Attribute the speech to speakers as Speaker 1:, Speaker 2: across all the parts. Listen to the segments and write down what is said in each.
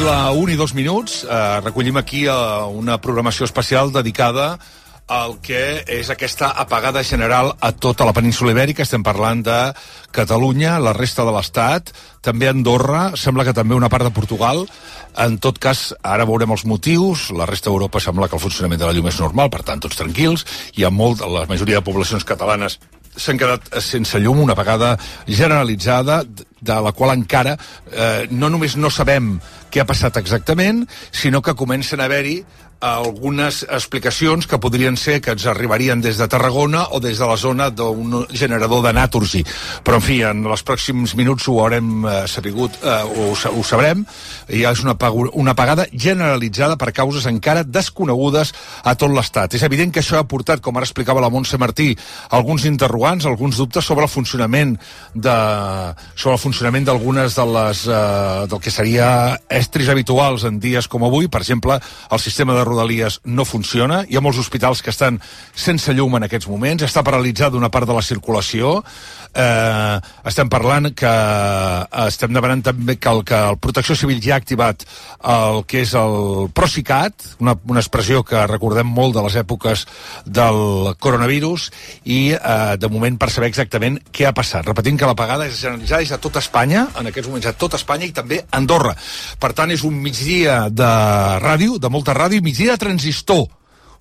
Speaker 1: la 1 i 2 minuts. Recollim aquí una programació especial dedicada al que és aquesta apagada general a tota la península Ibèrica. Estem parlant de Catalunya, la resta de l'Estat, també Andorra, sembla que també una part de Portugal. En tot cas, ara veurem els motius. La resta d'Europa sembla que el funcionament de la llum és normal, per tant, tots tranquils. La majoria de poblacions catalanes s'han quedat sense llum, una apagada generalitzada, de la qual encara no només no sabem què ha passat exactament, sinó que comencen a haver-hi algunes explicacions que podrien ser que ens arribarien des de Tarragona o des de la zona d'un generador de Naturgy. Però, en fi, en els pròxims minuts ho haurem sabut, ho sabrem. Ja és una apagada generalitzada per causes encara desconegudes a tot l'Estat. És evident que això ha portat, com ara explicava la Montse Martí, alguns interrogants, alguns dubtes sobre el funcionament d'algunes de les del que seria estris habituals en dies com avui. Per exemple, el sistema de Rodalies no funciona, hi ha molts hospitals que estan sense llum en aquests moments, està paralitzada una part de la circulació, estem demanant també que el Protecció Civil ja ha activat el que és el Procicat, una expressió que recordem molt de les èpoques del coronavirus, i de moment per saber exactament què ha passat. Repetim que l'apagada és generalitzada a tot Espanya, en aquests moments a tot Espanya i també a Andorra. Per tant, és un migdia de ràdio, de molta ràdio, migdia de transistor.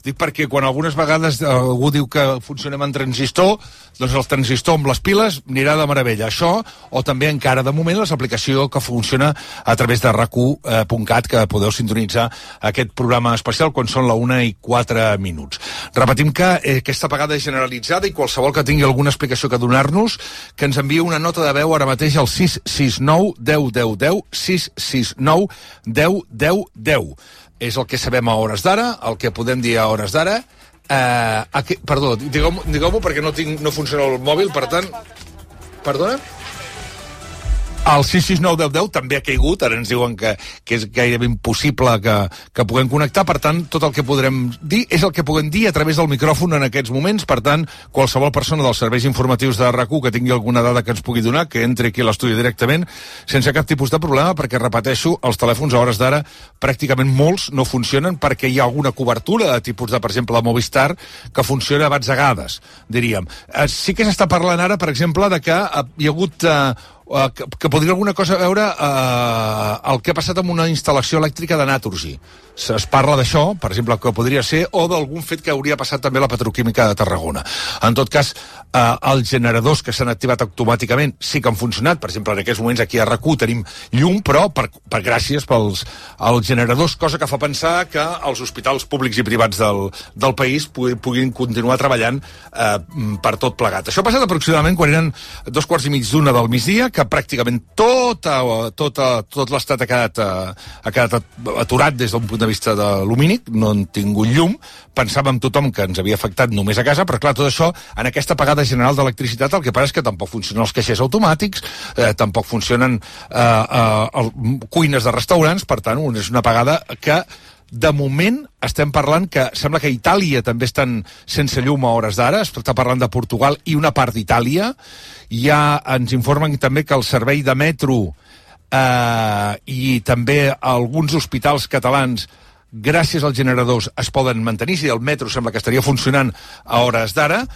Speaker 1: Dic perquè quan algunes vegades algú diu que funcionem en transistor, doncs el transistor amb les piles anirà de meravella. Això, o també encara de moment l'aplicació que funciona a través de rac1.cat, que podeu sintonitzar aquest programa especial quan són la 1 i 4 minuts. Repetim que aquesta apagada és generalitzada i qualsevol que tingui alguna explicació que donar-nos, que ens enviï una nota de veu ara mateix al 669 10 10 10, 669 10 10 10. És el que sabem a hores d'ara, el que podem dir a hores d'ara. Perdó, digueu-m'ho perquè no funciona el mòbil, per tant... Perdona? El 6691010 també ha caigut, ara ens diuen que és gairebé impossible que puguem connectar, per tant, tot el que podrem dir és el que puguem dir a través del micròfon en aquests moments. Per tant, qualsevol persona dels serveis informatius de RAC1 que tingui alguna dada que ens pugui donar, que entri aquí a l'estudi directament, sense cap tipus de problema, perquè, repeteixo, els telèfons a hores d'ara pràcticament molts no funcionen perquè hi ha alguna cobertura de tipus de, per exemple, la Movistar, que funciona a batzegades, diríem. Sí que s'està parlant ara, per exemple, de que hi ha hagut... que podria alguna cosa a veure el que ha passat amb una instal·lació elèctrica de Naturgy. Es parla d'això, per exemple, que podria ser, o d'algun fet que hauria passat també a la petroquímica de Tarragona. En tot cas, els generadors que s'han activat automàticament sí que han funcionat. Per exemple, en aquests moments aquí a RAC1 tenim llum, però gràcies als generadors, cosa que fa pensar que els hospitals públics i privats del país puguin continuar treballant per tot plegat. Això ha passat aproximadament quan eren 2:15 del migdia, que pràcticament tot l'Estat ha quedat aturat des d'un punt de vista de lumínic, no han tingut llum. Pensàvem tothom que ens havia afectat només a casa, però clar, tot això, en aquesta apagada general d'electricitat, el que passa és que tampoc funcionen els caixers automàtics, tampoc funcionen cuines de restaurants. Per tant, és una apagada que de moment estem parlant que sembla que a Itàlia també estan sense llum a hores d'ara, està parlant de Portugal i una part d'Itàlia. Ja ens informen també que el servei de metro i també alguns hospitals catalans, gràcies als generadors, es poden mantenir. Si el metro sembla que estaria funcionant a hores d'ara,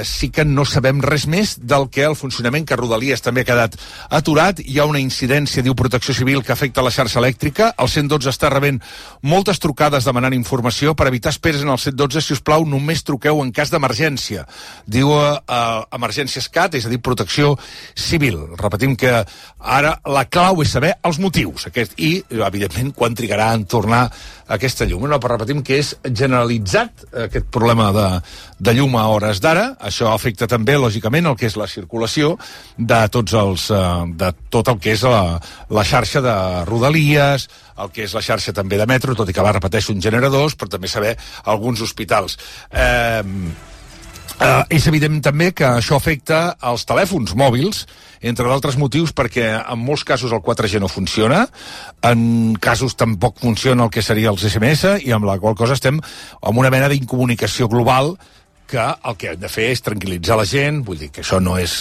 Speaker 1: sí que no sabem res més del que el funcionament, que Rodalies també ha quedat aturat. Hi ha una incidència, diu Protecció Civil, que afecta la xarxa elèctrica. El 112 està rebent moltes trucades demanant informació. Per evitar esperes en el 112, si us plau, només truqueu en cas d'emergència. Diu Emergències CAT, és a dir, Protecció Civil. Repetim que ara la clau és saber els motius i, evidentment, quan trigarà en tornar aquesta llum. No, però repetim que és generalitzat aquest problema de llum a hores d'ara. Això afecta també, lògicament, el que és la circulació de tot el que és la xarxa de Rodalies, el que és la xarxa també de metro, tot i que repeteixo, uns generadors, però també saber alguns hospitals. És evident també que això afecta els telèfons mòbils, entre d'altres motius, perquè en molts casos el 4G no funciona, en casos tampoc funciona el que seria els SMS, i amb la qual cosa estem amb una mena d'incomunicació global que el que hem de fer és tranquil·litzar la gent, vull dir que això no és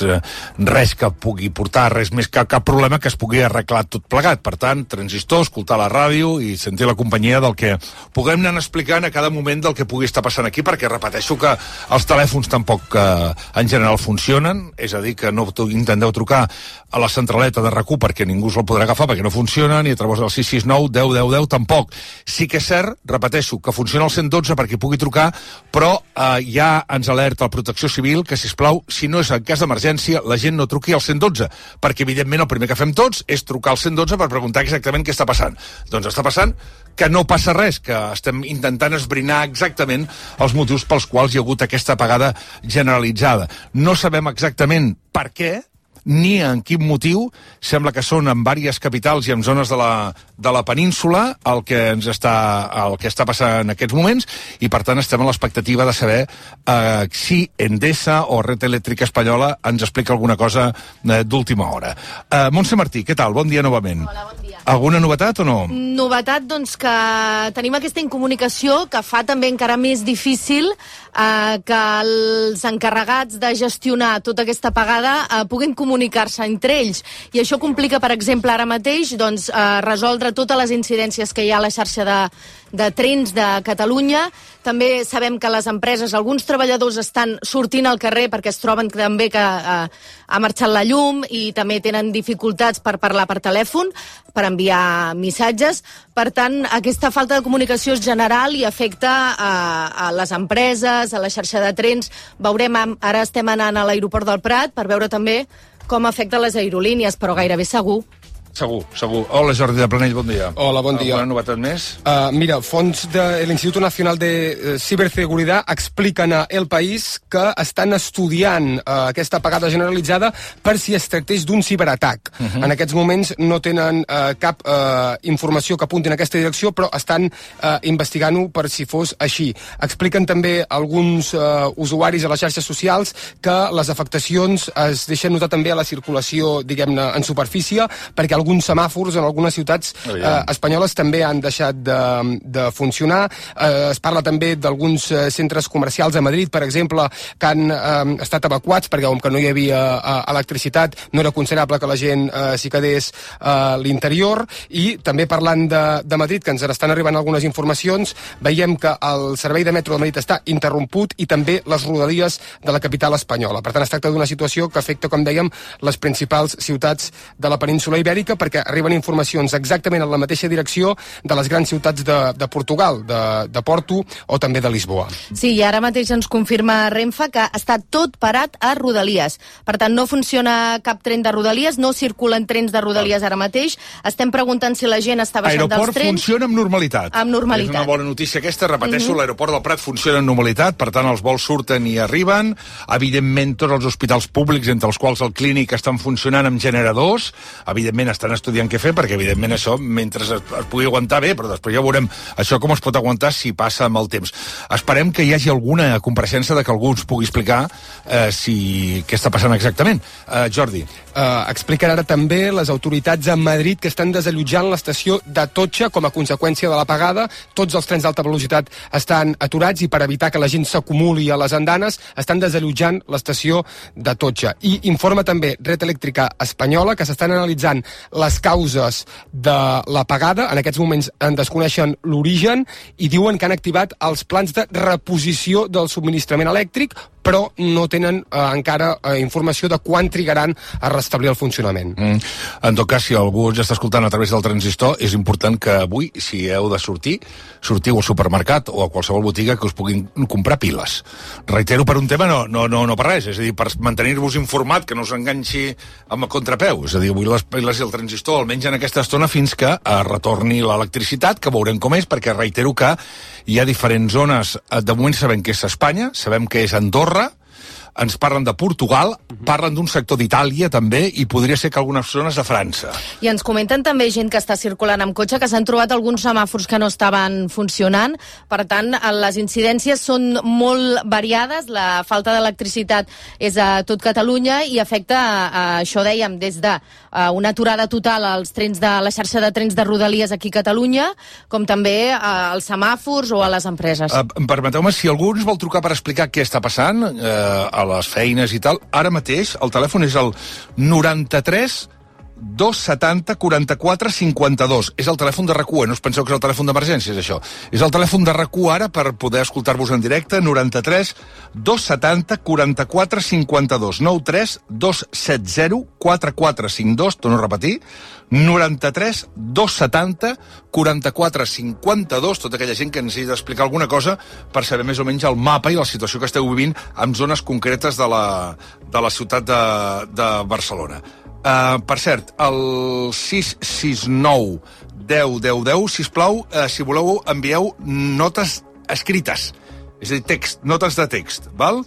Speaker 1: res que pugui portar, res més que cap problema que es pugui arreglar tot plegat. Per tant, transistor, escoltar la ràdio i sentir la companyia del que puguem anar explicant a cada moment del que pugui estar passant aquí, perquè repeteixo que els telèfons tampoc en general funcionen, és a dir, que no intenteu trucar a la centraleta de RAC1 perquè ningú us el podrà agafar perquè no funciona, ni a través del 669 10 10 10 tampoc. Sí que és cert, repeteixo, que funciona el 112 perquè pugui trucar, però ja ens alerta la Protecció Civil que, sisplau, si no és en cas d'emergència, la gent no truqui al 112, perquè, evidentment, el primer que fem tots és trucar al 112 per preguntar exactament què està passant. Doncs està passant que no passa res, que estem intentant esbrinar exactament els motius pels quals hi ha hagut aquesta apagada generalitzada. No sabem exactament per què, ni en quin motiu. Sembla que són en diverses capitals i en zones de la península el que està passant en aquests moments, i per tant estem a l'expectativa de saber si Endesa o Red Eléctrica Espanyola ens explica alguna cosa d'última hora. Montse Martí, què tal? Bon dia novament.
Speaker 2: Hola, bon dia.
Speaker 1: Alguna novetat o no?
Speaker 2: Novetat, doncs, que tenim aquesta incomunicació que fa també encara més difícil que els encarregats de gestionar tota aquesta apagada puguin comunicar-se entre ells. I això complica, per exemple, ara mateix doncs, resoldre totes les incidències que hi ha a la xarxa de trens de Catalunya. També sabem que les empreses, alguns treballadors estan sortint al carrer perquè es troben també que ha marxat la llum i també tenen dificultats per parlar per telèfon, per enviar missatges. Per tant, aquesta falta de comunicació és general i afecta a les empreses, a la xarxa de trens. Veurem, ara estem anant a l'aeroport del Prat per veure també com afecta les aerolínies, però gairebé segur.
Speaker 1: Segur, segur. Hola, Jordi de Planell, bon dia.
Speaker 3: Hola, bon dia.
Speaker 1: Alguna novetat més?
Speaker 3: Mira, fons del Instituto Nacional de Ciberseguridad expliquen a El País que estan estudiant aquesta apagada generalitzada per si es tractés d'un ciberatac. En aquests moments no tenen cap informació que apunti en aquesta direcció, però estan investigant-ho per si fos així. Expliquen també alguns usuaris a les xarxes socials que les afectacions es deixen notar també a la circulació, diguem-ne, en superfície, perquè alguns semàfors en algunes ciutats espanyoles també han deixat de funcionar. Es parla també d'alguns centres comercials a Madrid, per exemple, que han estat evacuats perquè com que no hi havia electricitat no era considerable que la gent s'hi quedés a l'interior. I també parlant de Madrid, que ens estan arribant algunes informacions, veiem que el servei de metro de Madrid està interromput i també les rodalies de la capital espanyola. Per tant, es tracta d'una situació que afecta, com dèiem, les principals ciutats de la península ibèrica, perquè arriben informacions exactament en la mateixa direcció de les grans ciutats de Portugal, de Porto o també de Lisboa.
Speaker 2: Sí, i ara mateix ens confirma Renfe que està tot parat a Rodalies. Per tant, no funciona cap tren de Rodalies, no circulen trens de Rodalies ara mateix. Estem preguntant si la gent està baixant dels trens.
Speaker 1: L'aeroport funciona amb normalitat.
Speaker 2: Amb normalitat.
Speaker 1: És una bona notícia aquesta, repeteixo, l'aeroport del Prat funciona amb normalitat, per tant els vols surten i arriben. Evidentment, tots els hospitals públics, entre els quals el Clínic, estan funcionant amb generadors. Evidentment, estan estudiant què fer, perquè evidentment això, mentre es pugui aguantar bé, però després ja veurem això com es pot aguantar si passa amb el temps. Esperem que hi hagi alguna compareixença de que algú ens pugui explicar què està passant exactament. Jordi.
Speaker 3: Expliquen ara també les autoritats a Madrid que estan desallotjant l'estació d'Atocha com a conseqüència de l'apagada. Tots els trens d'alta velocitat estan aturats i per evitar que la gent s'acumuli a les andanes estan desallotjant l'estació d'Atocha. I informa també Red Eléctrica Espanyola que s'estan analitzant les causes de l'apagada. En aquests moments en desconeixen l'origen i diuen que han activat els plans de reposició del subministrament elèctric, però no tenen encara informació de quan trigaran a restablir el funcionament.
Speaker 1: En tot cas, si algú ens està escoltant a través del transistor, és important que avui, si heu de sortiu al supermercat o a qualsevol botiga que us puguin comprar piles. Reitero, per un tema, no per res, és a dir, per mantenir-vos informat, que no us enganxi amb el contrapeu. És a dir, avui les piles i el transistor, almenys en aquesta estona, fins que retorni l'electricitat, que veurem com és, perquè reitero que hi ha diferents zones. De moment sabem que és Espanya, sabem que és Andorra, ens parlen de Portugal, parlen d'un sector d'Itàlia també, i podria ser que algunes zones de França.
Speaker 2: I ens comenten també gent que està circulant amb cotxe que s'han trobat alguns semàfors que no estaven funcionant. Per tant, les incidències són molt variades, la falta d'electricitat és a tot Catalunya i afecta, això dèiem, des de una aturada total als trens de la xarxa de trens de Rodalies aquí a Catalunya, com també als semàfors o a les empreses.
Speaker 1: Permeteu-me, si algú ens vol trucar per explicar què està passant a les feines i tal, ara mateix el telèfon és el 93 270 44 52. És el telèfon de RAC1, no us penseu que és el telèfon d'emergències, això. És el telèfon de RAC1 ara per poder escoltar-vos en directe, 93 270 44 52. 93 270 4452, torno a repetir, 93 270 44 52, tota aquella gent que necessita explicar alguna cosa per saber més o menys el mapa i la situació que esteu vivint en zones concretes de la ciutat de Barcelona. Per cert, el 669 10 10 10, sisplau, si voleu, envieu notes escrites, és a dir, text, notes de text, val?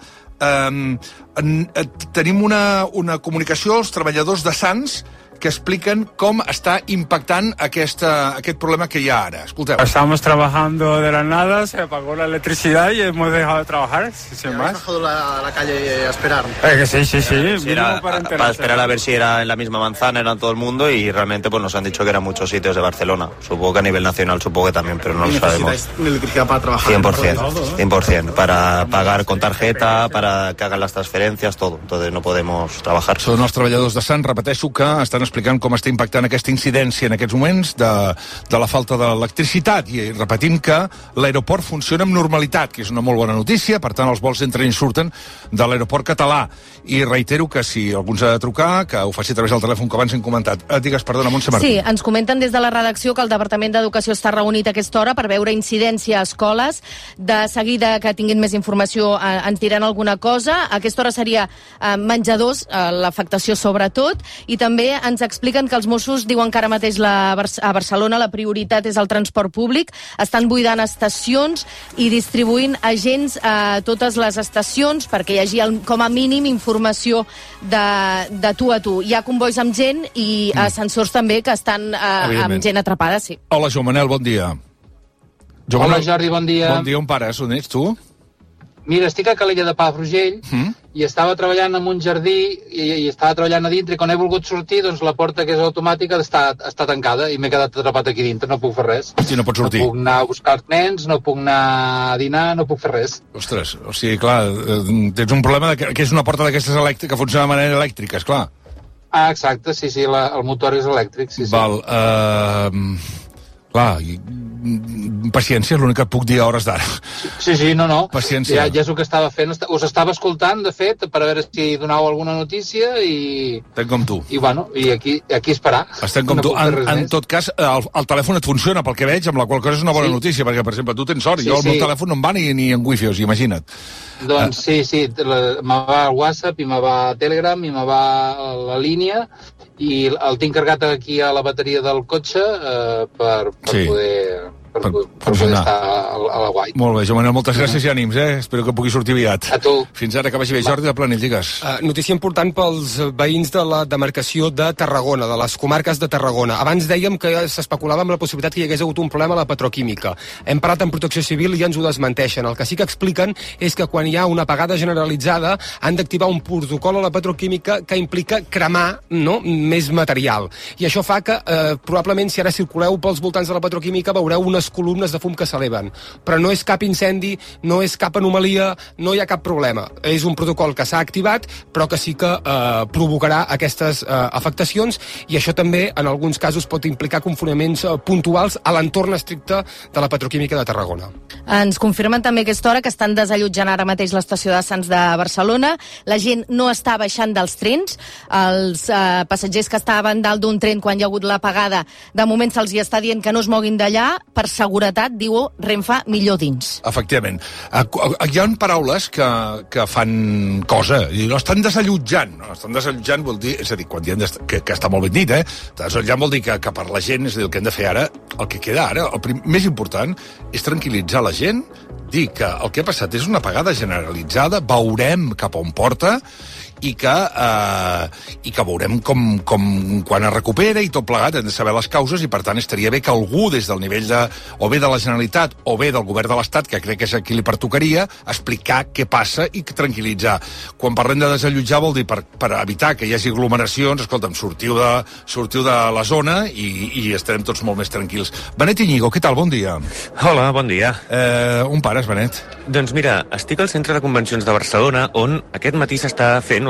Speaker 1: Tenim una comunicació als treballadors de Sants que expliquen com està impactant aquest problema que hi ha ara. Escolteu.
Speaker 4: Estamos trabajando de la nada, se apagó la electricidad y hemos dejado de trabajar, sin más.
Speaker 5: ¿Has bajado a la calle a esperar?
Speaker 4: Sí.
Speaker 5: Era para esperar a ver si era en la misma manzana, era en todo el mundo, y realmente pues nos han dicho que eran muchos sitios de Barcelona. Supongo que a nivel nacional, supongo que también, pero no lo sabemos. ¿Necesitáis electricidad para trabajar? 100%, para pagar con tarjeta, para que hagan las transferencias, todo. Entonces no podemos trabajar.
Speaker 1: Són els treballadors de Sant, repeteixo, que estan explicant com està impactant aquesta incidència en aquests moments de la falta d'electricitat, i repetint que l'aeroport funciona amb normalitat, que és una molt bona notícia. Per tant, els vols entren i surten de l'aeroport català, i reitero que si algú ens ha de trucar, que ho faci a través del telèfon que abans hem comentat. Digues, perdona, Montse Martí.
Speaker 2: Sí, ens comenten des de la redacció que el Departament d'Educació està reunit a aquesta hora per veure incidència a escoles. De seguida que tinguin més informació ens diran alguna cosa. A aquesta hora seria menjadors, l'afectació sobretot, i també ens expliquen que els Mossos diuen que ara mateix a Barcelona la prioritat és el transport públic, estan buidant estacions i distribuint agents a totes les estacions perquè hi hagi com a mínim informació de tu a tu. Hi ha convois amb gent i ascensors també que estan amb gent atrapada, sí.
Speaker 1: Hola, Joan Manel, bon dia.
Speaker 6: Hola, Jordi, bon dia.
Speaker 1: Bon dia, on pares? On ets, tu?
Speaker 6: Mira, estic a Calella de Palafrugell i estava treballant en un jardí i estava treballant a dintre, i quan he volgut sortir, doncs la porta, que és automàtica, està tancada i m'he quedat atrapat aquí dintre, no puc fer res.
Speaker 1: Sí, no pots sortir.
Speaker 6: No puc anar a buscar els nens, no puc anar a dinar, no puc fer res.
Speaker 1: Ostres, o sigui, clar, tens un problema que és una porta d'aquestes elèctriques que funciona de manera elèctrica, esclar.
Speaker 6: Ah, exacte, sí, el motor és elèctric, sí.
Speaker 1: Val, clar, paciència és l'únic que et puc dir a hores d'ara.
Speaker 6: Sí, no.
Speaker 1: Paciència.
Speaker 6: Ja és el que estava fent. Us estava escoltant, de fet, per a veure si donàveu alguna notícia i...
Speaker 1: Estem com tu.
Speaker 6: I bueno, i aquí esperar.
Speaker 1: Estem com tu. En tot cas, el telèfon et funciona, pel que veig, amb la qual cosa és una bona notícia, perquè, per exemple, tu tens sort, jo el meu telèfon no em va ni en wifi, o sigui, imagina't.
Speaker 6: Doncs sí, me va el WhatsApp, i me va Telegram, i me va la línia, i el tinc carregat aquí a la bateria del cotxe per poder... per poder estar a la guai.
Speaker 1: Molt bé, Joan Manel, moltes gràcies i ànims, Espero que pugui sortir aviat.
Speaker 6: A tu.
Speaker 1: Fins ara, que vagi bé. Jordi de Planell, digues.
Speaker 3: Notícia important pels veïns de la demarcació de Tarragona, de les comarques de Tarragona. Abans dèiem que s'especulava amb la possibilitat que hi hagués hagut un problema a la petroquímica. Hem parlat amb Protecció Civil i ja ens ho desmenteixen. El que sí que expliquen és que quan hi ha una apagada generalitzada han d'activar un protocol a la petroquímica que implica cremar més material. I això fa que probablement si ara circuleu pels voltants de la petroquímica veureu unes columnes de fum que s'eleven. Però no és cap incendi, no és cap anomalia, no hi ha cap problema. És un protocol que s'ha activat, però que sí que provocarà aquestes afectacions, i això també, en alguns casos, pot implicar confoniments puntuals a l'entorn estricte de la petroquímica de Tarragona.
Speaker 2: Ens confirmen també a aquesta hora que estan desallotjant ara mateix l'estació de Sants de Barcelona. La gent no està baixant dels trens. Els passatgers que estaven dalt d'un tren quan hi ha hagut l'apagada, de moment se'ls hi està dient que no es moguin d'allà. Per seguretat, diu Renfe, millor dins.
Speaker 1: Efectivament. Hi ha paraules que fan cosa, i no estan desallotjant. No? Estan desallotjant vol dir, és a dir, quan diem que està molt ben dit, desallotjant vol dir que per la gent, és a dir, el que hem de fer ara, el que queda ara, el més important és tranquil·litzar la gent, dir que el que ha passat és una apagada generalitzada, veurem cap on porta, i que veurem com quan es recupera i tot plegat, hem de saber les causes, i per tant estaria bé que algú des del nivell o bé de la Generalitat o bé del govern de l'Estat, que crec que és a qui li pertocaria, explicar què passa i tranquil·litzar. Quan parlem de desallotjar vol dir per evitar que hi hagi aglomeracions, escolta'm, sortiu de la zona i estarem tots molt més tranquils. Benet Iñigo, què tal? Bon dia.
Speaker 7: Hola, bon dia.
Speaker 1: On pares, Benet?
Speaker 7: Doncs mira, estic al Centre de Convencions de Barcelona, on aquest matí s'estava fent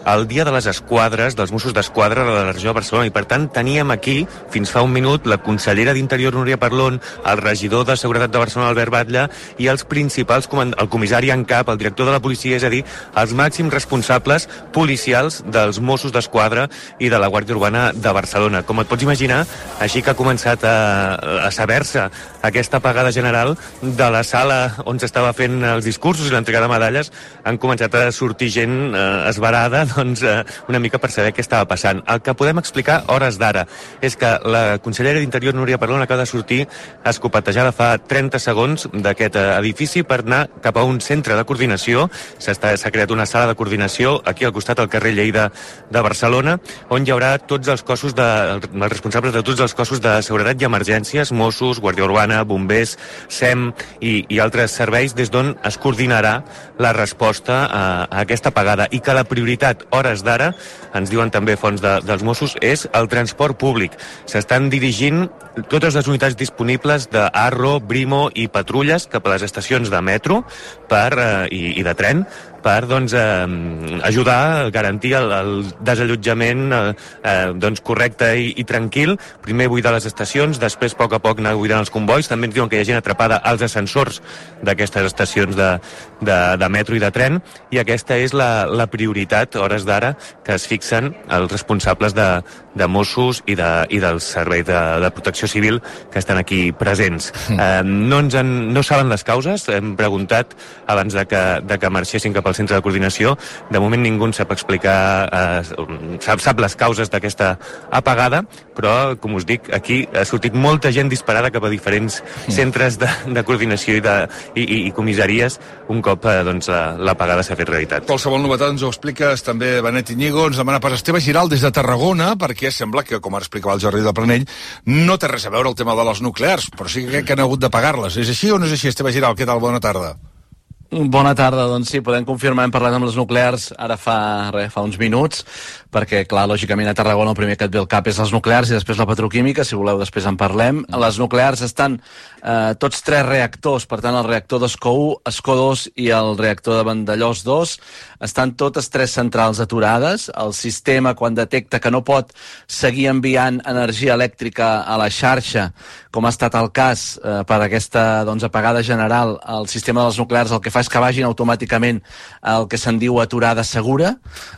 Speaker 7: el Dia de les Esquadres, dels Mossos d'Esquadra de la regió de Barcelona, i per tant teníem aquí, fins fa un minut, la consellera d'Interior, Núria Parlon, el regidor de Seguretat de Barcelona, Albert Batlle, i els principals, el comissari en cap, el director de la policia, és a dir, els màxims responsables policials dels Mossos d'Esquadra i de la Guàrdia Urbana de Barcelona. Com et pots imaginar, així que ha començat a saber-se aquesta apagada general de la sala on s'estava fent els discursos i l'entrega de medalles, han començat a sortir gent esverada, doncs, una mica per saber què estava passant. El que podem explicar hores d'ara és que la consellera d'Interior, Núria Parlon, acaba de sortir escopetejada fa 30 segons d'aquest edifici per anar cap a un centre de coordinació. S'ha creat una sala de coordinació aquí al costat, al carrer Lleida de Barcelona, on hi haurà tots els cossos els responsables de tots els cossos de seguretat i emergències, Mossos, Guàrdia Urbana, Bombers, SEM i altres serveis, des d'on es coordinarà la resposta a aquesta apagada, i que la prioritat, hores d'ara, ens diuen també fonts dels Mossos, és el transport públic. S'estan dirigint totes les unitats disponibles d'Arro, Brimo i patrulles cap a les estacions de metro i de tren per ajudar a garantir el desallotjament correcte i tranquil. Primer buidar les estacions, després a poc anar buidant els convois. També ens diuen que hi ha gent atrapada als ascensors d'aquestes estacions de metro i de tren, i aquesta és la prioritat, hores d'ara, que es fixen els responsables de Mossos i del Servei de Protecció Civil que estan aquí presents. No saben les causes, hem preguntat abans de que marxessin cap al centre de coordinació. De moment ningú en sap explicar, sap les causes d'aquesta apagada, però, com us dic, aquí ha sortit molta gent disparada cap a diferents centres de coordinació i comissaries un cop l'apagada s'ha fet realitat.
Speaker 1: Qualsevol novetat ens ho expliques també, Benet Iñigo. Ens demana per Esteve Giral des de Tarragona, perquè sembla que, com ara explicava el Jordi del Planell, no té res a veure el tema de les nuclears, però sí que han hagut de pagar-les. És així o no és així, Esteve Giral? Què tal? Bona tarda.
Speaker 8: Bona tarda, doncs sí, podem confirmar, hem parlat amb les nuclears ara fa uns minuts, perquè, clar, lògicament a Tarragona el primer que et ve al cap és les nuclears i després la petroquímica, si voleu després en parlem. Les nuclears estan tots tres reactors, per tant el reactor d'Escó 1, Escó 2 i el reactor de Vandellòs 2, estan totes tres centrals aturades. El sistema, quan detecta que no pot seguir enviant energia elèctrica a la xarxa, com ha estat el cas per aquesta apagada general, el sistema de les nuclears el que fa és que vagin automàticament el que se'n diu aturada segura.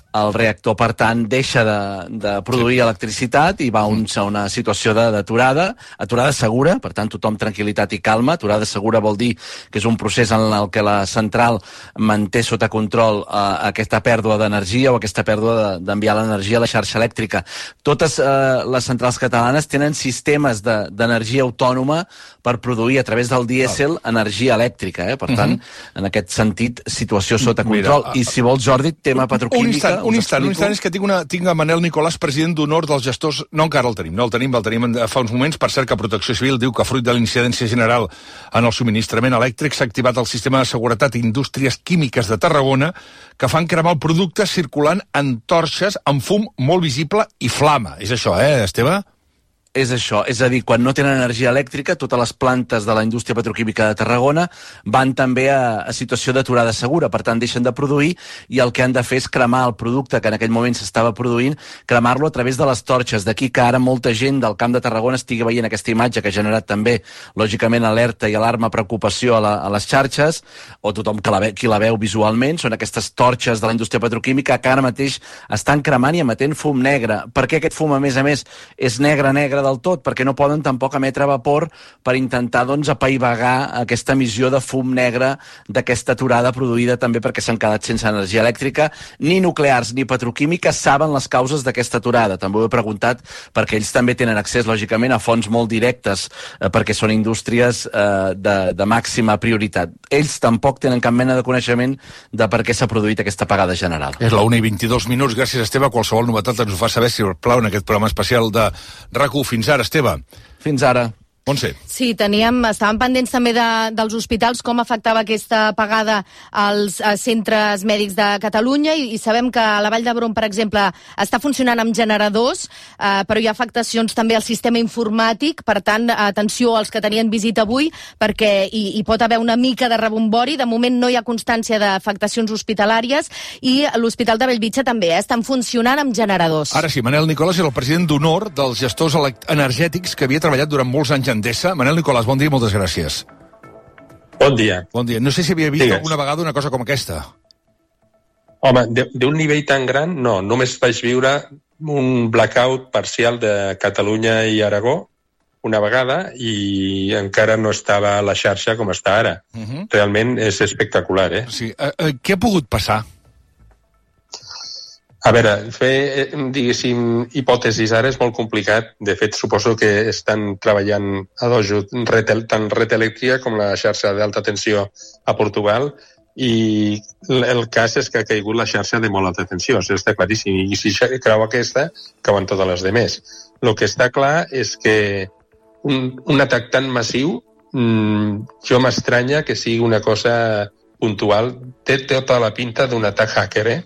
Speaker 8: El reactor, per tant, deixa de produir electricitat i va a una situació d'aturada, aturada segura, per tant, tothom tranquil·litat i calma. Aturada segura vol dir que és un procés en el que la central manté sota control aquesta pèrdua d'energia o aquesta pèrdua d'enviar l'energia a la xarxa elèctrica. Totes les centrals catalanes tenen sistemes d'energia autònoma per produir a través del dièsel energia elèctrica. Per tant, en aquest sentit, situació sota control. I si vols, Jordi, tema petroquímica...
Speaker 1: Un instant, és que tinc a Manel Nicolàs, president d'honor dels gestors... No, encara el tenim fa uns moments. Per cert, que Protecció Civil diu que fruit de l'incidència general en el subministrament elèctric s'ha activat el sistema de seguretat i indústries químiques de Tarragona, que fan cremar el producte circulant en torxes amb fum molt visible i flama. És això, Esteve?
Speaker 8: És això, és a dir, quan no tenen energia elèctrica, totes les plantes de la indústria petroquímica de Tarragona van també a situació d'aturada segura, per tant deixen de produir i el que han de fer és cremar el producte que en aquell moment s'estava produint, cremar-lo a través de les torxes. D'aquí que ara molta gent del Camp de Tarragona estigui veient aquesta imatge que ha generat també, lògicament, alerta i alarma, preocupació a les xarxes, o tothom qui la veu visualment. Són aquestes torxes de la indústria petroquímica que ara mateix estan cremant i emetent fum negre. Per què aquest fum, a més, és negre, negre del tot, perquè no poden tampoc emetre vapor per intentar apaivagar aquesta emissió de fum negre d'aquesta aturada produïda també perquè s'han quedat sense energia elèctrica. Ni nuclears ni petroquímiques saben les causes d'aquesta aturada. També ho he preguntat perquè ells també tenen accés, lògicament, a fonts molt directes, perquè són indústries de màxima prioritat. Ells tampoc tenen cap mena de coneixement de per què s'ha produït aquesta apagada general.
Speaker 1: És la 1:22. Gràcies, Esteve. Qualsevol novetat ens ho fa saber, si us plau, en aquest programa especial de RAC1. Fins ara, Esteve.
Speaker 8: Fins ara.
Speaker 1: Montse.
Speaker 2: Sí, estàvem pendents també dels hospitals, com afectava aquesta apagada als centres mèdics de Catalunya, i sabem que a la Vall d'Hebron, per exemple, està funcionant amb generadors, però hi ha afectacions també al sistema informàtic. Per tant, atenció als que tenien visita avui, perquè hi pot haver una mica de rebombori. De moment no hi ha constància d'afectacions hospitalàries, i l'Hospital de Bellvitge també estan funcionant amb generadors.
Speaker 1: Ara sí, Manel Nicolàs era el president d'honor dels gestors energètics que havia treballat durant molts anys en Endesa. Manel Nicolàs, bon dia i moltes gràcies.
Speaker 9: Bon dia.
Speaker 1: Bon dia. No sé si havia vist alguna vegada una cosa com aquesta.
Speaker 9: Home, d'un nivell tan gran, no. Només vaig viure un blackout parcial de Catalunya i Aragó una vegada, i encara no estava a la xarxa com està ara. Realment és espectacular, eh?
Speaker 1: Sí. Què ha pogut passar?
Speaker 9: A veure, fer, diguéssim, hipòtesis ara és molt complicat. De fet, suposo que estan treballant a dojo tant Red Eléctrica com la xarxa d'alta tensió a Portugal, i el cas és que ha caigut la xarxa de molt alta tensió, això està claríssim, i si creu aquesta, cauen totes les demés. El que està clar és que un atac tan massiu, jo m'estranya que sigui una cosa puntual. Té tota la pinta d'un atac hacker, eh?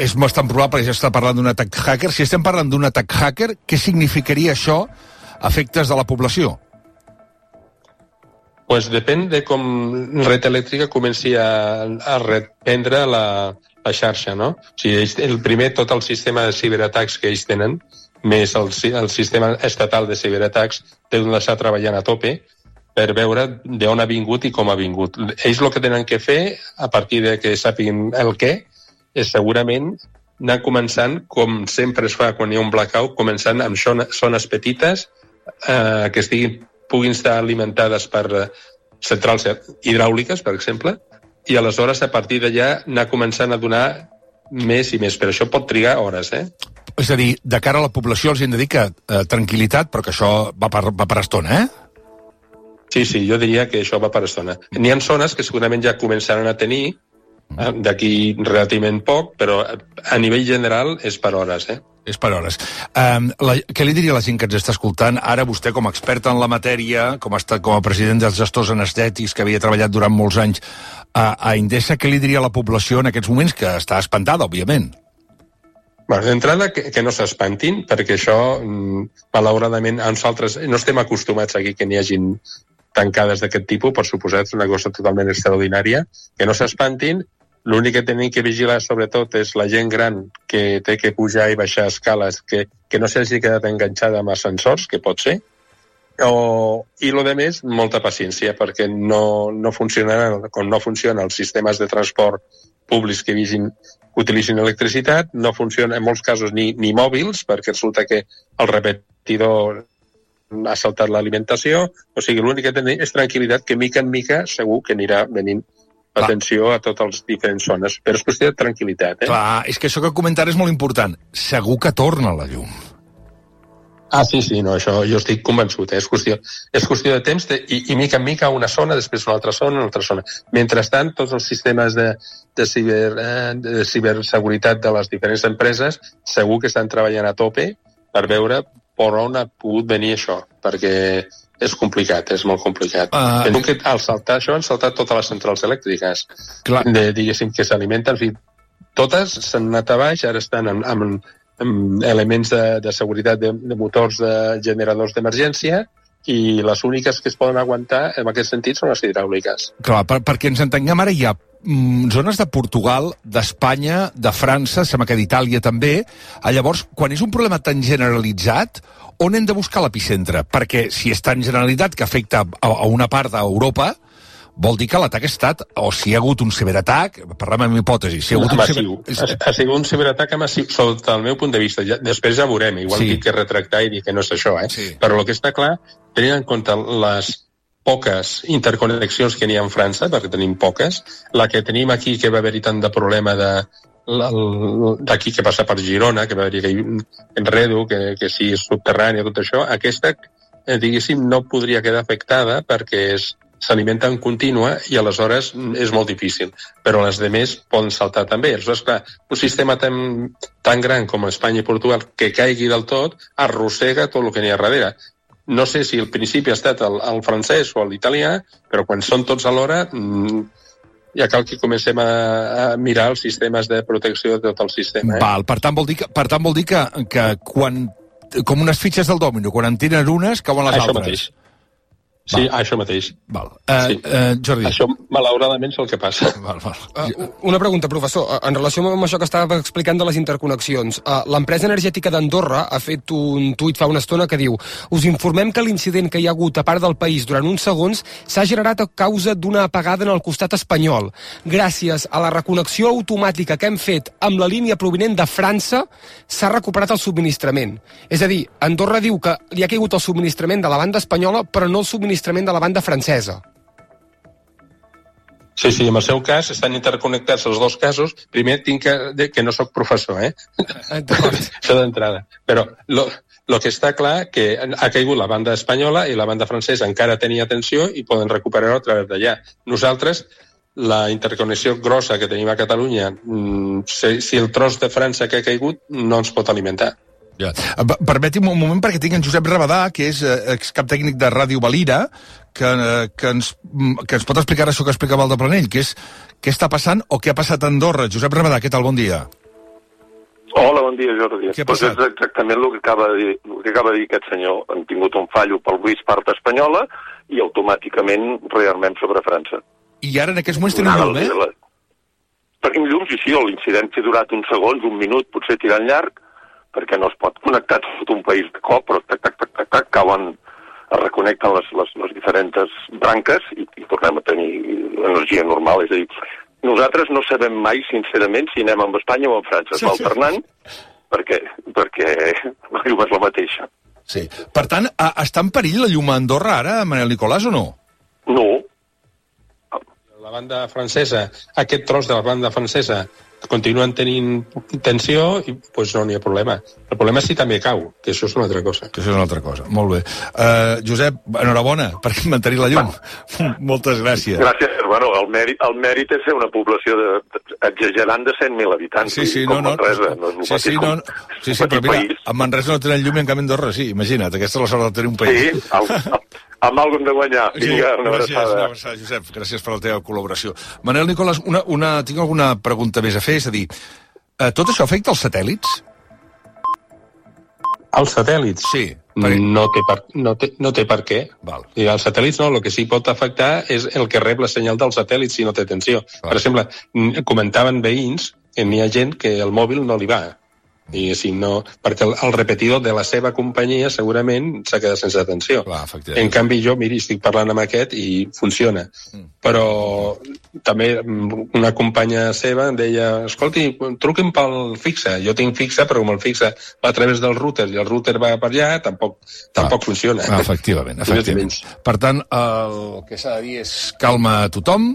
Speaker 1: És bastant probable que ja està parlant d'un atac hacker. Si estem parlant d'un atac hacker, què significaria això a efectes de la població?
Speaker 9: Pues depèn de com Red Eléctrica comenci a reprendre la xarxa, no? O sigui, el primer, tot el sistema de ciberatacs que ells tenen, més el sistema estatal de ciberatacs, deuen deixar treballant a tope per veure d'on ha vingut i com ha vingut. Ells el que tenen que fer, a partir de que sàpiguen el què, és segurament anar començant, com sempre es fa quan hi ha un blackout, començant amb zones petites que puguin estar alimentades per centrals hidràuliques, per exemple, i aleshores a partir d'allà anar començant a donar més i més, però això pot trigar hores, eh?
Speaker 1: És a dir, de cara a la població els hem de dir que tranquil·litat, però que això va per estona, eh?
Speaker 9: Sí, jo diria que això va per estona. N'hi ha zones que segurament ja començaran a tenir d'aquí relativament poc, però a nivell general és per hores, eh?
Speaker 1: És per hores. Què li diria a la gent que ens està escoltant? Ara vostè, com a expert en la matèria, com a president dels gestors energètics, que havia treballat durant molts anys a Endesa, què li diria a la població en aquests moments, que està espantada, òbviament?
Speaker 9: D'entrada, que no s'espantin, perquè això, malauradament, a nosaltres no estem acostumats aquí que n'hi hagin tancades d'aquest tipus, per suposat, és una cosa totalment extraordinària, que no s'espantin. L'únic que tenim que vigilar, sobretot, és la gent gran que té que pujar i baixar escales, que no s'hagi quedat enganxada amb ascensors, que pot ser, i el més, molta paciència, perquè no funcionaran, com no funcionen els sistemes de transport públics que utilitzin electricitat, no funcionen en molts casos ni mòbils, perquè resulta que el repetidor ha saltat l'alimentació. O sigui, l'únic que tenim és tranquil·litat, que mica en mica segur que anirà venint atenció a totes les diferents zones, però és qüestió de tranquil·litat, eh?
Speaker 1: Clar, és que això que comentar és molt important. Segur que torna la llum.
Speaker 9: Sí, no, això jo estic convençut, és qüestió de temps, i mica en mica una zona, després una altra zona. Mentrestant, tots els sistemes de ciberseguretat de les diferents empreses segur que estan treballant a tope per veure per on ha pogut venir això, perquè és complicat, és molt complicat. Penso que al saltar això han saltat totes les centrals elèctriques, diguéssim, que s'alimenten, en fi, totes s'han anat a baix, ara estan amb elements de seguretat de motors de generadors d'emergència, i les úniques que es poden aguantar en aquest sentit són les hidràuliques.
Speaker 1: Clar, perquè ens entenguem, ara hi ha zones de Portugal, d'Espanya, de França, sembla que d'Itàlia també. Llavors, quan és un problema tan generalitzat, on hem de buscar l'epicentre? Perquè si és tan generalitzat que afecta a una part d'Europa, vol dir que l'atac ha estat, o si hi ha hagut un ciberatac, parlem amb hipòtesi, si hi ha hagut
Speaker 9: massiu. Ha sigut un ciberatac massiu, sota el meu punt de vista. Després ja veurem, igual dic que retractar i dir que no és això, Però el que està clar, tenint en compte les poques interconnexions que n'hi ha en França, perquè tenim poques, la que tenim aquí, que va haver-hi tant de problema d'aquí que passa per Girona, que va haver-hi enredo, que sí és subterrani, tot això, aquesta, diguéssim, no podria quedar afectada perquè s'alimenta en contínua i aleshores és molt difícil. Però les demés poden saltar també. Aleshores, clar, un sistema tan gran com Espanya i Portugal que caigui del tot arrossega tot el que n'hi ha darrere. No sé si al principi ha estat el francès o l'italià, però quan són tots alhora ja cal que comencem a mirar els sistemes de protecció de tot el sistema.
Speaker 1: Val, per tant vol dir que quan, com unes fitxes del dòmino, quan en tenen unes, cauen les altres.
Speaker 9: Mateix. Sí, això mateix.
Speaker 1: Val.
Speaker 9: Jordi. Això, malauradament, és el que passa.
Speaker 3: Una pregunta, professor. En relació amb això que estava explicant de les interconnexions, l'empresa energètica d'Andorra ha fet un tuit fa una estona que diu: us informem que l'incident que hi ha hagut a part del país durant uns segons s'ha generat a causa d'una apagada en el costat espanyol. Gràcies a la reconnexió automàtica que hem fet amb la línia provinent de França, s'ha recuperat el subministrament. És a dir, Andorra diu que li ha caigut el subministrament de la banda espanyola, però no el subministrament de la banda francesa.
Speaker 9: Sí, en el seu cas estan interconnectats els dos casos. Primer tinc que no sóc professor, això d'entrada. Però el que està clar que ha caigut la banda espanyola i la banda francesa encara tenia tensió i poden recuperar-ho a través d'allà. Nosaltres, la interconnexió grossa que tenim a Catalunya, si el tros de França que ha caigut no ens pot alimentar.
Speaker 1: Ja. Permeti'm un moment perquè tinc en Josep Rabadà, que és excap tècnic de Ràdio Valira, que ens pot explicar això que explicava el de Planell, que és què està passant o què ha passat a Andorra. Josep Rabadà, què tal? Bon dia.
Speaker 10: Hola, bon dia, Jordi.
Speaker 1: Què ha passat?
Speaker 10: Pues és exactament el que acaba de dir aquest senyor. Han tingut un fallo pel Luis part espanyola i automàticament rearmem sobre França.
Speaker 1: I ara en aquests moments tenen llum,
Speaker 10: Tenim llum, sí, l'incidència ha durat uns segons, un minut, potser tirant llarg, perquè no es pot connectar tot un país de cop, però tac, cauen, es reconnecten les diferents branques i tornem a tenir energia normal. És a dir, nosaltres no sabem mai, sincerament, si anem amb Espanya o amb França. Es va alternant perquè la llum és la mateixa.
Speaker 1: Sí. Per tant, està en perill la llum a Andorra ara, Manel Nicolàs, o no?
Speaker 10: No.
Speaker 9: La banda francesa, aquest tros de la banda francesa continuen tenint tensió i doncs no n'hi ha problema. El problema és si també cau, que això és una altra cosa.
Speaker 1: Que això és una altra cosa. Molt bé. Josep, enhorabona per mantenir la llum. Moltes gràcies.
Speaker 10: Gràcies. Bueno, el mèrit és ser una població exagerant de 100.000 habitants.
Speaker 1: Sí, no.
Speaker 10: Manresa, no és
Speaker 1: sí, però mira, a Manresa no tenen llum i en canvi Andorra sí, imagina't, aquesta és la sort de tenir un país.
Speaker 10: Sí, amb alguna de guanyar. Vinga, una abraçada.
Speaker 1: Josep, gràcies per la teva col·laboració. Manel Nicolàs, tinc alguna pregunta més a fer, és a dir, tot això afecta els satèl·lits?
Speaker 9: Els satèl·lits?
Speaker 1: Sí.
Speaker 9: No té per què.
Speaker 1: Val.
Speaker 9: I els satèl·lits no, el que sí pot afectar és el que rep la senyal del satèl·lit si no té tensió. Val. Per exemple, comentaven veïns que n'hi ha gent que el mòbil no li va. I si no, perquè el repetidor de la seva companyia segurament s'ha quedat sense atenció. En canvi jo, miri, estic parlant amb aquest i funciona. Però també una companya seva em deia, escolti, truquin pel fixe. Jo tinc fixe, però com el fixe va a través del router i el router va per allà, tampoc funciona.
Speaker 1: Efectivament. Per tant, el que s'ha de dir és calma a tothom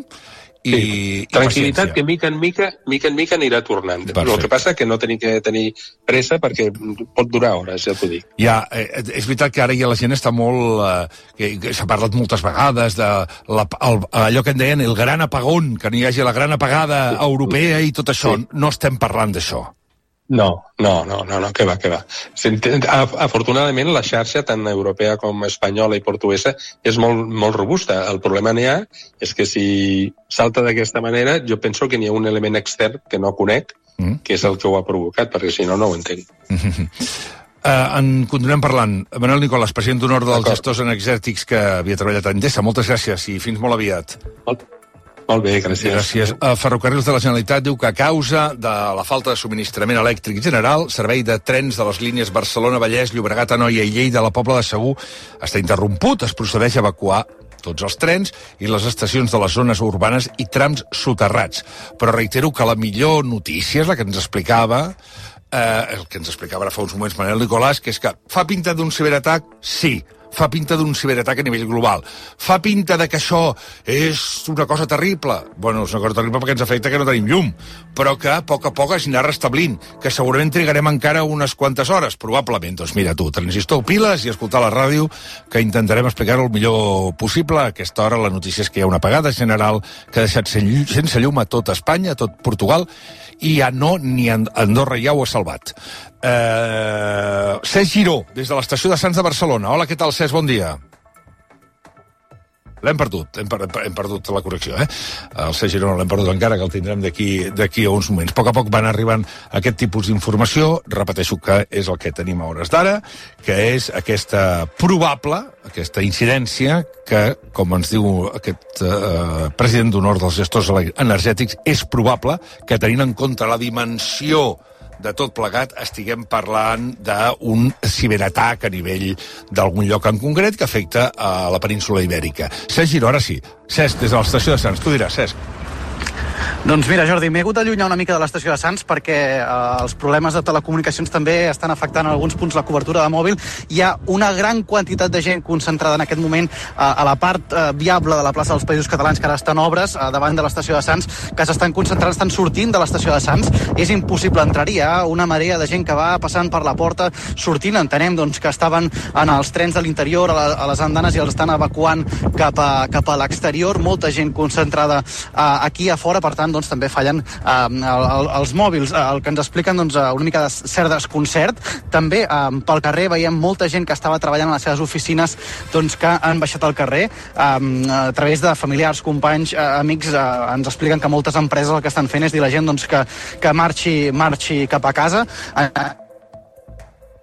Speaker 1: i
Speaker 9: tranquil·litat, que mica en mica anirà tornant. El que passa que no tenim que tenir pressa perquè pot durar hores, ja t'ho dic.
Speaker 1: Ja, és veritat que ara ja la gent està molt... s'ha parlat moltes vegades de allò que en deien el gran apagón, que n'hi hagi la gran apagada europea i tot això. No estem parlant d'això.
Speaker 9: No, que va. Afortunadament, la xarxa, tant europea com espanyola i portuguesa, és molt robusta. El problema n'hi ha és que si salta d'aquesta manera, jo penso que n'hi ha un element extern que no conec, que és el que ho ha provocat, perquè si no, no ho entenc.
Speaker 1: En continuem parlant. Manel Nicolàs, president d'honor dels gestors energètics que havia treballat a Endesa. Moltes gràcies i fins molt aviat.
Speaker 9: Molt bé, gràcies.
Speaker 1: Ferrocarrils de la Generalitat diu que a causa de la falta de subministrament elèctric general, servei de trens de les línies Barcelona, Vallès, Llobregat, Anoia i Lleida a la Pobla de Segur està interromput. Es procedeix a evacuar tots els trens i les estacions de les zones urbanes i trams soterrats. Però reitero que la millor notícia és la que ens explicava el que ens explicava ara fa uns moments Manel Nicolàs, que és que fa pinta d'un ciberatac? Sí. Fa pinta d'un ciberatac a nivell global. Fa pinta de que això és una cosa terrible. Bueno, és una cosa terrible perquè ens afecta que no tenim llum, però que a poc es anirà restablint, que segurament trigarem encara unes quantes hores, probablement. Doncs mira tu, transistor, piles i escoltar la ràdio, que intentarem explicar-ho el millor possible. A aquesta hora la notícia és que hi ha una apagada general que ha deixat sense llum a tot Espanya, a tot Portugal, i ja no, ni Andorra ja ho ha salvat. Cesc Giró, des de l'estació de Sants de Barcelona. Hola, què tal, Cesc? Bon dia. L'hem perdut, hem perdut la correcció, El Cesc Giró no l'hem perdut encara, que el tindrem d'aquí a uns moments. A poc van arribant aquest tipus d'informació, repeteixo que és el que tenim a hores d'ara, que és aquesta probable, aquesta incidència que, com ens diu aquest president d'honor dels gestors energètics, és probable que, tenint en compte la dimensió de tot plegat, estiguem parlant d'un ciberatac a nivell d'algun lloc en concret que afecta a la península Ibèrica. Cesc Giró, ara sí. Cesc, des de l'estació de Sants. Tu diràs, Cesc.
Speaker 11: Doncs mira, Jordi, m'he hagut d'allunyar una mica de l'estació de Sants perquè els problemes de telecomunicacions també estan afectant en alguns punts la cobertura de mòbil. Hi ha una gran quantitat de gent concentrada en aquest moment a la part viable de la plaça dels Països Catalans, que ara està en obres davant de l'estació de Sants, que s'estan concentrant, estan sortint de l'estació de Sants. És impossible entrar-hi, hi ha una marea de gent que va passant per la porta, sortint. Entenem doncs, que estaven en els trens de l'interior, a les andanes, i els estan evacuant cap a l'exterior. Molta gent concentrada aquí a fora, per tant, doncs, també fallen els mòbils. El que ens expliquen, doncs, una mica de cert desconcert. També pel carrer veiem molta gent que estava treballant a les seves oficines, doncs, que han baixat al carrer a través de familiars, companys, amics. Ens expliquen que moltes empreses el que estan fent és dir a la gent, doncs, que marxi cap a casa.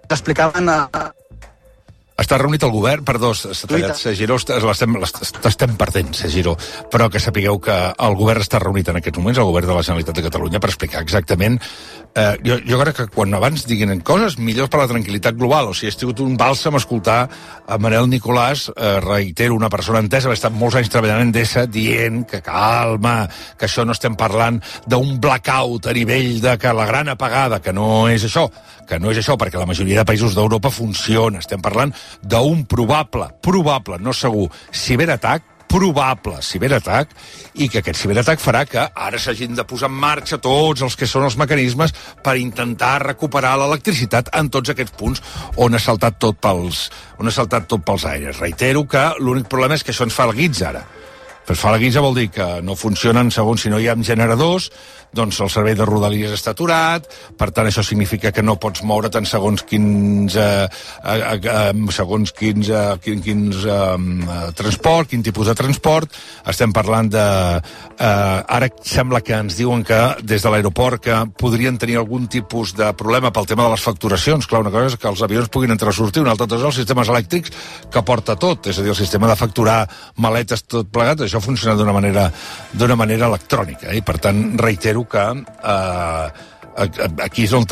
Speaker 11: Explicaven...
Speaker 1: Està reunit el govern, perdó, s'ha tallat, Cesc Giró, l'estem perdent, Cesc Giró, però que sapigueu que el govern està reunit en aquests moments, el govern de la Generalitat de Catalunya, per explicar exactament. Jo crec que quan abans diguin coses, millor per la tranquil·litat global. O sigui, ha sigut un bàlsam escoltar a Manel Nicolàs, reitero, una persona entesa, ha estat molts anys treballant en Endesa, dient que calma, que això no estem parlant d'un blackout a nivell de que la gran apagada, que no és això, perquè la majoria de països d'Europa funciona. Estem parlant d'un probable, no segur, probable ciberatac, i que aquest ciberatac farà que ara s'hagin de posar en marxa tots els que són els mecanismes per intentar recuperar l'electricitat en tots aquests punts on ha saltat tot pels aires. Reitero que l'únic problema és que això ens fa el guitz ara. Però fa la guitza vol dir que no funcionen segons si no hi ha generadors, doncs el servei de Rodalies està aturat, per tant això significa que no pots moure't en segons quins transport, quin tipus de transport. Estem parlant de... Ara sembla que ens diuen que des de l'aeroport que podrien tenir algun tipus de problema pel tema de les facturacions. Clar, una cosa és que els avions puguin entrar o sortir, una altra cosa és els sistemes elèctrics que porta tot, és a dir, el sistema de facturar maletes tot plegat, això funciona d'una manera electrònica, i per tant reitero que aquí és on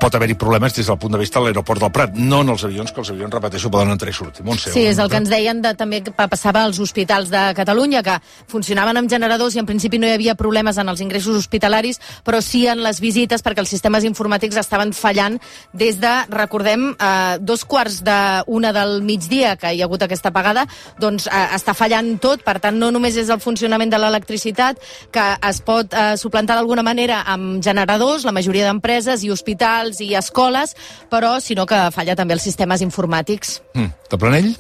Speaker 1: pot haver-hi problemes des del punt de vista de l'aeroport del Prat, no en els avions, que els avions, repeteixo, poden entrar i sortir.
Speaker 2: Sí, és el que ens deien també que passava als hospitals de Catalunya, que funcionaven amb generadors i en principi no hi havia problemes en els ingressos hospitalaris, però sí en les visites, perquè els sistemes informàtics estaven fallant des de, recordem, 2:45 del migdia, que hi ha hagut aquesta apagada, doncs està fallant tot. Per tant, no només és el funcionament de l'electricitat, que es pot suplantar d'alguna manera amb generadors, la majoria d'empreses i hospitals i escoles, però sinó que falla també els sistemes informàtics.
Speaker 1: De Planell?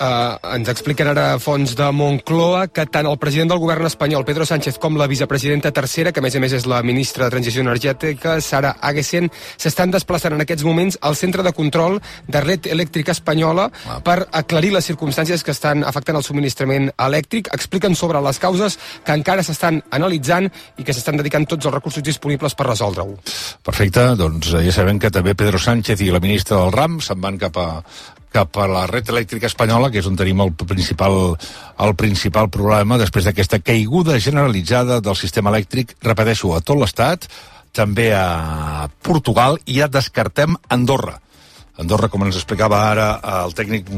Speaker 3: Ens expliquen ara fonts de Moncloa que tant el president del govern espanyol, Pedro Sánchez, com la vicepresidenta tercera, que a més és la ministra de Transició Energètica, Sara Agesen, s'estan desplaçant en aquests moments al centre de control de Red Elèctrica Espanyola per aclarir les circumstàncies que estan afectant el subministrament elèctric. Expliquen sobre les causes que encara s'estan analitzant i que s'estan dedicant tots els recursos disponibles per resoldre-ho.
Speaker 1: Perfecte, doncs ja sabem que també Pedro Sánchez i la ministra del RAM se'n van cap a la Red Elèctrica Espanyola, que és on tenim el principal problema després d'aquesta caiguda generalitzada del sistema elèctric, repeteixo, a tot l'estat, també a Portugal, i ja descartem Andorra. Andorra, com ens explicava ara el tècnic,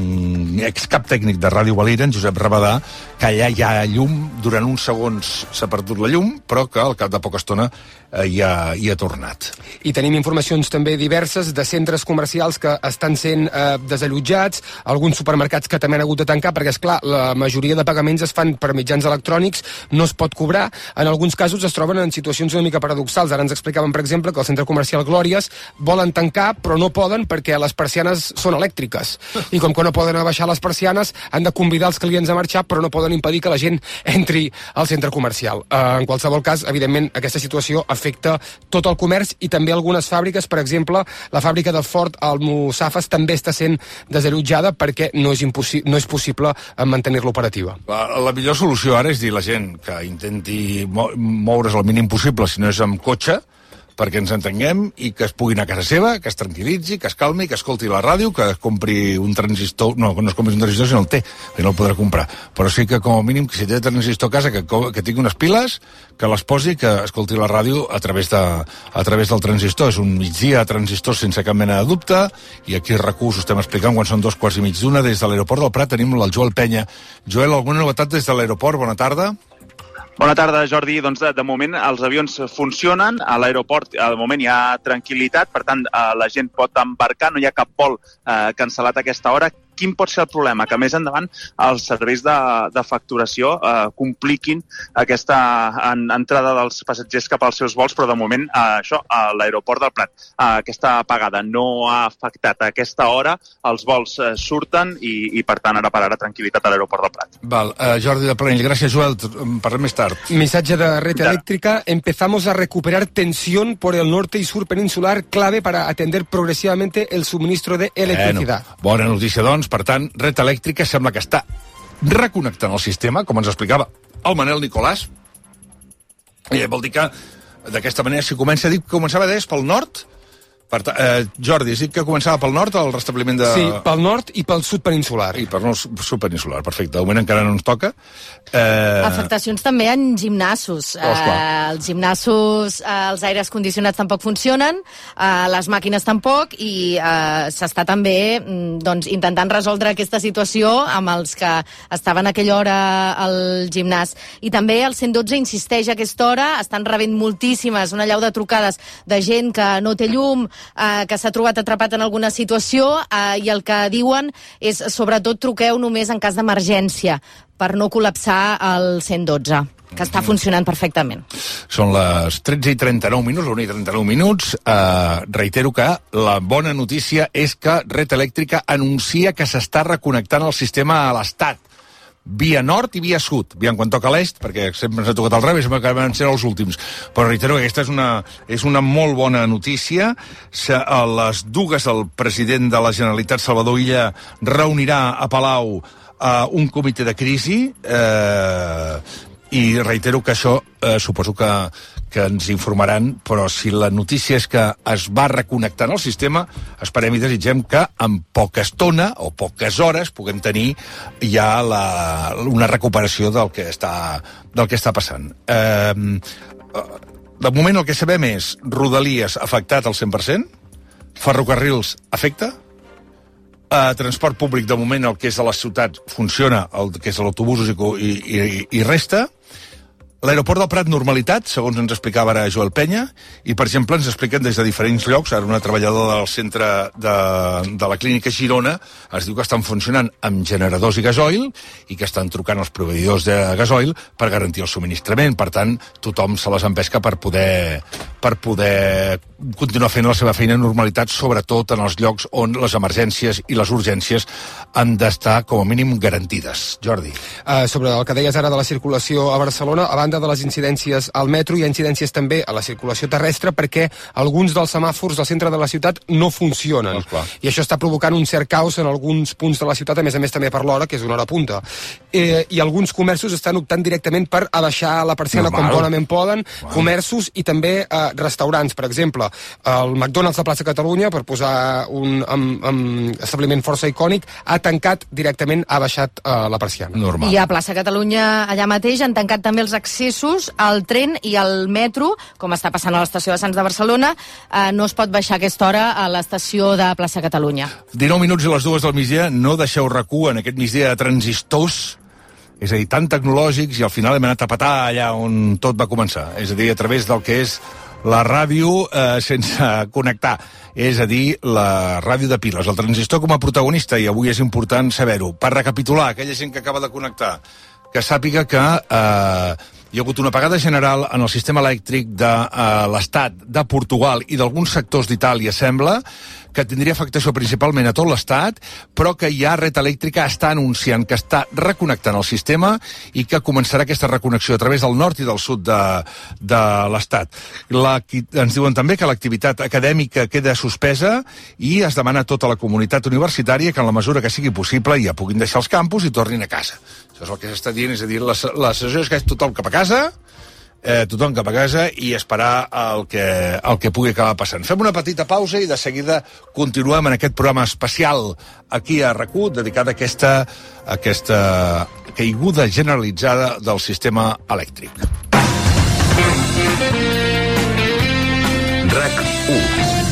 Speaker 1: excap tècnic de Ràdio Valira, en Josep Rabadà, que allà hi ha llum, durant uns segons s'ha perdut la llum, però que al cap de poca estona hi ha tornat.
Speaker 3: I tenim informacions també diverses de centres comercials que estan sent desallotjats, alguns supermercats que també han hagut de tancar, perquè, esclar, la majoria de pagaments es fan per mitjans electrònics, no es pot cobrar. En alguns casos es troben en situacions una mica paradoxals. Ara ens explicaven, per exemple, que el centre comercial Glòries volen tancar, però no poden perquè les persianes són elèctriques. I com que no poden abaixar les persianes, han de convidar els clients a marxar, però no poden impedir que la gent entri al centre comercial. En qualsevol cas, evidentment, aquesta situació afecta tot el comerç i també algunes fàbriques. Per exemple, la fàbrica de Ford Almussafes també està sent desallotjada perquè no és possible mantenir-la operativa.
Speaker 1: La millor solució ara és dir a la gent que intenti moure's el mínim possible, si no és amb cotxe, perquè ens entenguem i que es pugui anar a casa seva, que es tranquil·litzi, que es calmi, que escolti la ràdio, que es compri un transistor, no es compri un transistor si no el té, que no el podrà comprar, però sí que com a mínim, que si té transistor a casa, que tingui unes piles, que les posi, que escolti la ràdio a través del transistor. És un migdia a transistor sense cap mena de dubte, i aquí a RAC1 us estem explicant quan són 2:15. Des de l'aeroport del Prat tenim el Joel Penya. Joel, alguna novetat des de l'aeroport? Bona tarda.
Speaker 12: Bona tarda, Jordi. Doncs de moment els avions funcionen, a l'aeroport de moment hi ha tranquil·litat, per tant la gent pot embarcar, no hi ha cap vol cancel·lat a aquesta hora. Quin pot ser el problema? Que més endavant els serveis de facturació compliquin aquesta entrada dels passatgers cap als seus vols, però de moment això, a l'aeroport del Prat, aquesta apagada no ha afectat a aquesta hora, els vols surten i per tant ara per ara tranquil·litat a l'aeroport del Prat.
Speaker 1: Val, Jordi de Planell, gràcies, Joel, parlem més tard.
Speaker 3: Missatge de Red Eléctrica: empezamos a recuperar tensión por el norte y sur peninsular, clave para atender progresivamente el suministro de electricidad.
Speaker 1: Bona notícia, doncs. Per tant, Red Eléctrica sembla que està reconnectant el sistema, com ens explicava el Manel Nicolàs. I vol dir que d'aquesta manera, si comença a dir que començava d'est pel nord, Jordi, has dit que començava pel nord el restabliment de...
Speaker 3: Sí, pel nord i pel sud peninsular.
Speaker 1: I pel sud peninsular, perfecte. De moment encara no ens toca.
Speaker 2: Afectacions també en gimnasos. Els gimnasos, els aires condicionats tampoc funcionen, les màquines tampoc, i s'està també intentant resoldre aquesta situació amb els que estaven a aquella hora al gimnàs. I també el 112 insisteix a aquesta hora, estan rebent moltíssimes, una llau de trucades de gent que no té llum, que s'ha trobat atrapat en alguna situació, i el que diuen és, sobretot, truqueu només en cas d'emergència, per no col·lapsar el 112, que està funcionant perfectament.
Speaker 1: Són les 13:39, la 1:39. Reitero que la bona notícia és que Red Eléctrica anuncia que s'està reconnectant el sistema a l'Estat, via nord i via sud, aviam quan toca l'est, perquè sempre ens ha tocat al revés, sempre acaben sent els últims, però reitero que aquesta és una molt bona notícia. A les dues el president de la Generalitat, Salvador Illa, reunirà a Palau un comitè de crisi, i reitero que això suposo que ens informaran, però si la notícia és que es va reconnectant el sistema, esperem i desitgem que en poca estona o poques hores puguem tenir ja una recuperació del que està passant. De moment el que sabem és Rodalies afectat al 100%, ferrocarrils afecta, transport públic de moment el que és a les ciutats funciona, el que és l'autobús i resta. L'aeroport del Prat, normalitat, segons ens explicava ara Joel Penya, i, per exemple, ens expliquen des de diferents llocs, ara una treballadora del centre de la clínica Girona ens diu que estan funcionant amb generadors i gasoil i que estan trucant els proveïdors de gasoil per garantir el subministrament. Per tant, tothom se les empesca per poder continuar fent la seva feina en normalitat, sobretot en els llocs on les emergències i les urgències han d'estar, com a mínim, garantides. Jordi.
Speaker 3: Sobre el que deies ara de la circulació a Barcelona, a banda de les incidències al metro, hi ha incidències també a la circulació terrestre perquè alguns dels semàfors del centre de la ciutat no funcionen. I això està provocant un cert caos en alguns punts de la ciutat, a més també per l'hora, que és una hora punta. I alguns comerços estan optant directament per abaixar la persiana com bonament poden, comerços i també restaurants, per exemple, el McDonald's de Plaça Catalunya, per posar un establiment força icònic, ha tancat directament, ha baixat la persiana.
Speaker 1: Normal.
Speaker 2: I a Plaça Catalunya, allà mateix, han tancat també els accessos al tren i al metro, com està passant a l'estació de Sants de Barcelona. No es pot baixar a aquesta hora a l'estació de Plaça Catalunya.
Speaker 1: 19 minuts a les 2 del migdia, no deixeu RAC1 en aquest migdia de transistors, és a dir, tan tecnològics, i al final hem anat a petar allà on tot va començar, és a dir, a través del que és la ràdio sense connectar, és a dir, la ràdio de piles, el transistor com a protagonista, i avui és important saber-ho. Per recapitular, aquella gent que acaba de connectar, que sàpiga que hi ha hagut una apagada general en el sistema elèctric de l'Estat, de Portugal i d'alguns sectors d'Itàlia, sembla, que tindria afectació principalment a tot l'Estat, però que ja Red Eléctrica està anunciant que està reconnectant el sistema i que començarà aquesta reconnexió a través del nord i del sud de l'Estat. Ens diuen també que l'activitat acadèmica queda suspesa i es demana a tota la comunitat universitària que en la mesura que sigui possible ja puguin deixar els campus i tornin a casa. Això és el que s'està dient, és a dir, la sessió és que és tothom cap a casa, i esperar el que pugui acabar passant. Fem una petita pausa i de seguida continuem en aquest programa especial aquí a RAC1 dedicat a aquesta caiguda generalitzada del sistema elèctric. RAC1